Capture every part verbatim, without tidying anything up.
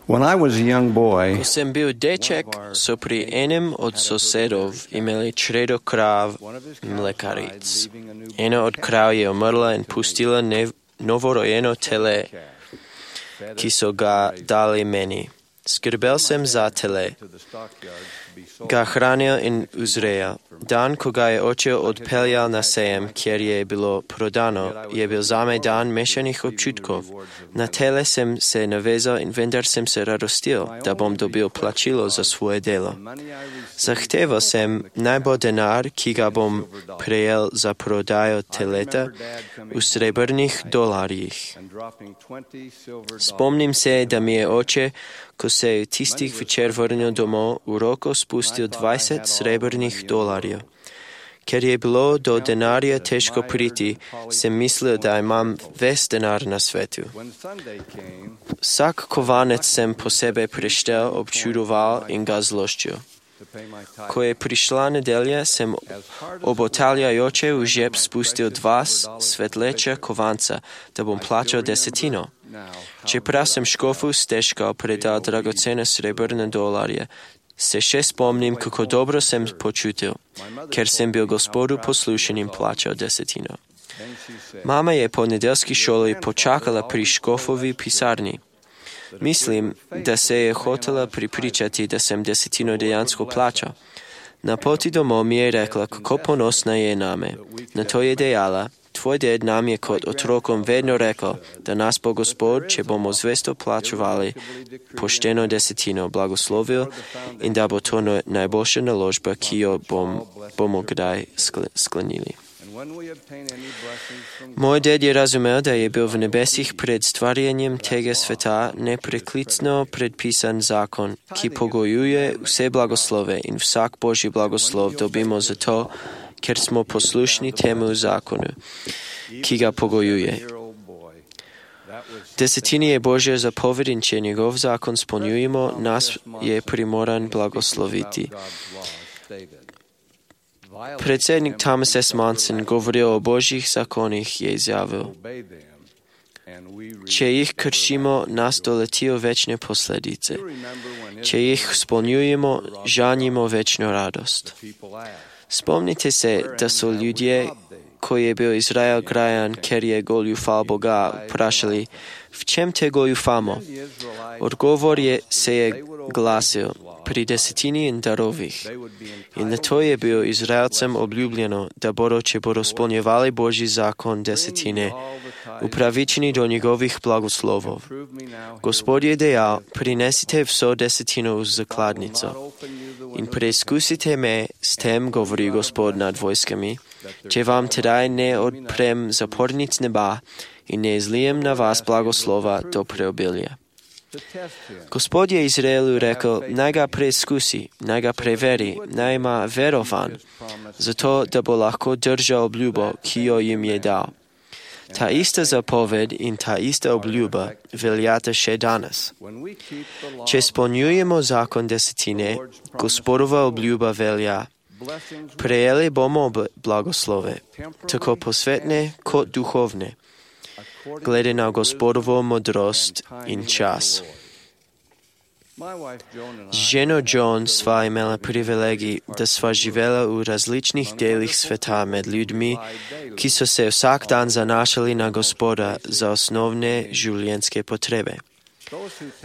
When I was a young boy, Ko sem bil deček, so pri enem od sosedov imeli čredo krav mlekaric. Ena od krav je umrla in pustila nev- novorojeno tele, ki so ga dali meni. Skrbel sem za tele, ga hranil in uzrejal. Dan, ko ga je oče odpeljal na sejem, kjer je bilo prodano, je bil zame dan mešanih občutkov. Na tele sem se navezal in vendar sem se radostil, da bom dobil plačilo za svoje delo. Zahteval sem, naj bo denar, ki ga bom prejel za prodajo teleta, v srebrnih dolarjih. Spomnim se, da mi je oče, ko se je tistih večer vrnil domov, v roko spustil dvajset srebrnih dolarjev. Ker je bilo do denarja težko priti, sem mislil, da imam ves denar na svetu. Vsak kovanec sem posebej preštel, občudoval in ga zloščil. Ko je prišla nedelja, sem obotaljajoče v žep spustil dva svetleča kovanca, da bom plačal desetino. Čeprav sem škofu stežkal predal dragocene srebrne dolarje, se še spomnim, kako dobro sem počutil, ker sem bil gospodu poslušen in plačal desetino. Mama je po nedeljski šoli počakala pri škofovi pisarni. Mislim, da se je hotela pripričati, da sem desetino dejansko plačal. Na poti domov mi je rekla, kako ponosna je name. Na to je dejala, tvoj ded nam je kot otrokom vedno rekel, da nas bo Gospod, če bomo zvesto plačevali, pošteno desetino blagoslovil in da bo to najboljša naložba, ki jo bom, bomo kdaj sklenili. Moj ded je razumel, da je bil v nebesih pred stvarjenjem tega sveta nepreklicno predpisan zakon, ki pogojuje vse blagoslove in vsak Božji blagoslov dobimo zato, ker smo poslušni temu zakonu, ki ga pogojuje. Desetini je Božja zapoved in če njegov zakon spolnjujemo, nas je primoran blagosloviti. Predsednik Thomas S. Monson govoril o Božjih zakonih je izjavil. Če jih kršimo, nas doletijo večne posledice. Če jih spolnjujemo, žanjimo večno radost. Spomnite se, da so ljudje, ko je bil Izrael grajan, ker je goljufal Boga, vprašali, v čem te goljufamo? Odgovor je, se je glasil, pri desetini in darovih. In na to je bil Izraelcem obljubljeno, da bodo, če bodo spolnjevali Božji zakon desetine, upravičeni do njegovih blagoslovov. Gospod je dejal, prinesite vso desetino v zakladnico in preizkusite me, s tem govori Gospod nad vojskami, če vam tedaj ne odprem zapornic neba in ne izlijem na vas blagoslova do preobilja. Gospod je Izraelu rekel, naj ga preizkusi, naj ga preveri, naj ima verovan, zato da bo lahko držal obljubo, ki jo jim je dal. Ta ista zapoved in ta ista obljuba veljata še danes. Če spolnjujemo zakon desetine, Gospodova obljuba velja. Prejeli bomo blagoslove, tako posvetne kot duhovne, glede na Gospodovo modrost in čas. Z ženo Joan sva imela privilegij, da sva živela v različnih delih sveta med ljudmi, ki so se vsak dan zanašali na Gospoda za osnovne življenjske potrebe.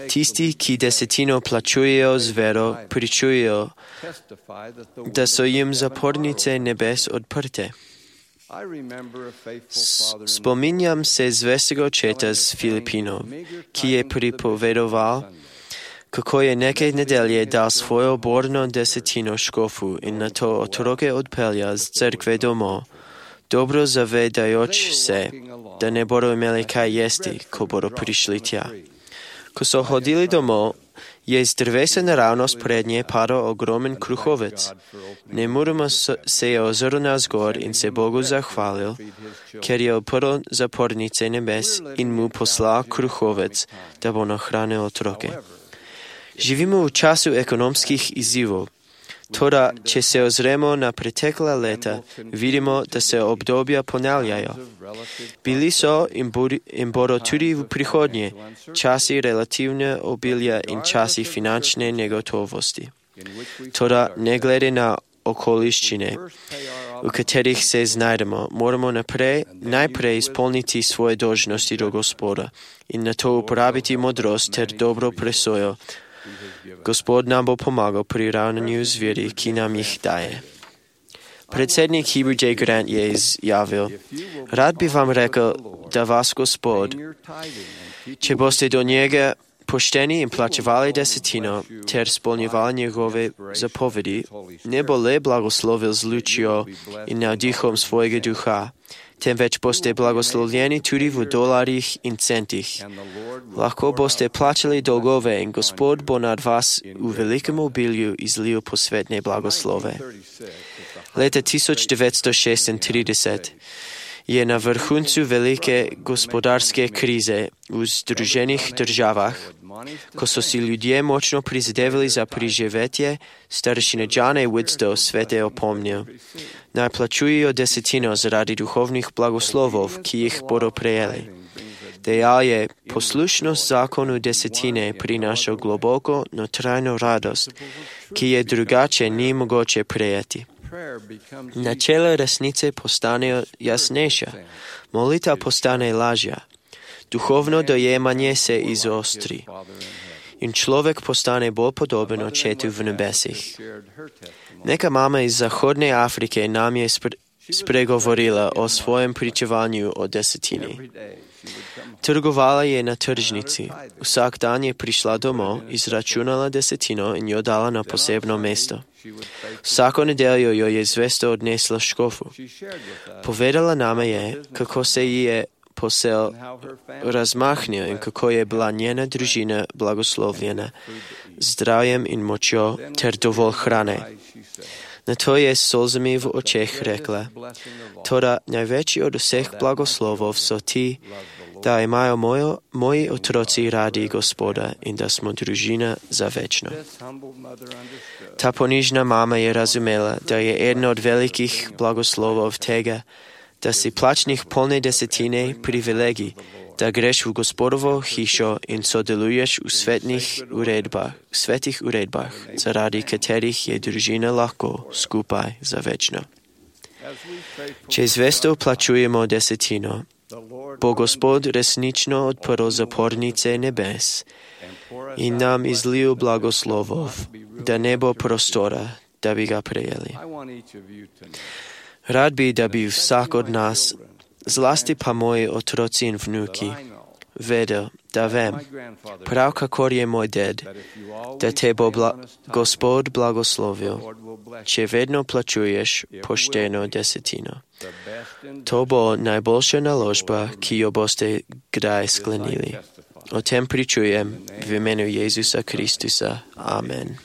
Tisti, ki desetino plačujejo z vero, pričujejo, da so jim zapornice nebes odprte. Spominjam se zvestega očeta z Filipinov, ki je pripovedoval, kako je nekaj nedelje dal svojo borno desetino škofu in na to otroke odpeljal z cerkve domov, dobro zavedajoč se, da ne bodo imeli kaj jesti, ko bodo prišli tja. Ko so hodili domov, je iz drevesa naravnost pred nje padal ogromen kruhovec. Nemudoma se je ozrl navzgor in se Bogu zahvalil, ker je odprl zapornice nebes in mu poslal kruhovec, da bo nahranil otroke. Živimo v času ekonomskih izzivov. Tora, че се озремо на претекла лета, видимо да се обдобия понавljaju. Bili so in bodo tudi v prihodnje časi relativne obilja in časi finančne negotovosti. Toda ne glede na okoliščine, v katerih se znajdemo, moramo naprej, najprej izpolniti svoje dolžnosti do Gospoda in na to uporabiti modrost ter dobro presojo. Gospod nam bo pomagal pri ravnanju z viri, ki nam jih daje. Predsednik Heber J. Grant je izjavil: Rad bi vam rekel, da vas Gospod, če boste do njega pošteni in plačevali desetino ter spolnjevali njegove zapovedi, ne bo le blagoslovil z lučjo in navdihom svojega duha, temveč boste blagoslovljeni tudi v dolarjih in centih. Lahko boste plačali dolgove in Gospod bo nad vas v velikem obilju izlil posvetne blagoslove. Leta tisoč devetsto šestintrideset je na vrhuncu velike gospodarske krize v Združenih državah, ko so si ljudje močno prizadevali za preživetje, starešina John A. Widstow svete opomnil: naj plačujejo desetino zaradi duhovnih blagoslovov, ki jih bodo prejeli. Dejal je: poslušnost zakonu desetine prinaša globoko notrajno radost, ki je drugače ni mogoče prejeti. Načela resnice postanejo jasnejša, molitev postane lažja, duhovno dojemanje se izostri in človek postane bolj podoben očetu v nebesih. Neka mama iz Zahodne Afrike nam je spre, spregovorila o svojem pričevanju o desetini. Trgovala je na tržnici. Vsak dan je prišla domov, izračunala desetino in jo dala na posebno mesto. Vsako nedeljo jo je zvesto odnesla škofu. Povedala nama je, kako se ji je posel razmahnil in kako je bila njena družina blagoslovljena zdravjem in močjo ter dovolj hrane. Na to je s solzami v očeh rekla: toda največji od vseh blagoslovov so ti, da imajo mojo, moji otroci radi Gospoda in da smo družina za večno. Ta ponižna mama je razumela, da je eden od velikih blagoslovov tega, da si plačnih polne desetine privilegij, da greš v Gospodovo hišo in sodeluješ v svetnih uredbah, svetih uredbah, zaradi katerih je družina lahko skupaj za večno. Če zvesto plačujemo desetino, bo Gospod resnično odprl zapornice nebes in nam izlil blagoslovov, da ne bo prostora, da bi ga prejeli. Rad bi, da bi vsak od nas, zlasti pa moji otroci in vnuki, vedel, da vem, prav kakor je moj ded, da te bo bla, Gospod blagoslovil, če vedno plačuješ pošteno desetino. To bo najboljša naložba, ki jo boste kdaj sklenili. O tem pričujem v imenu Jezusa Kristusa. Amen.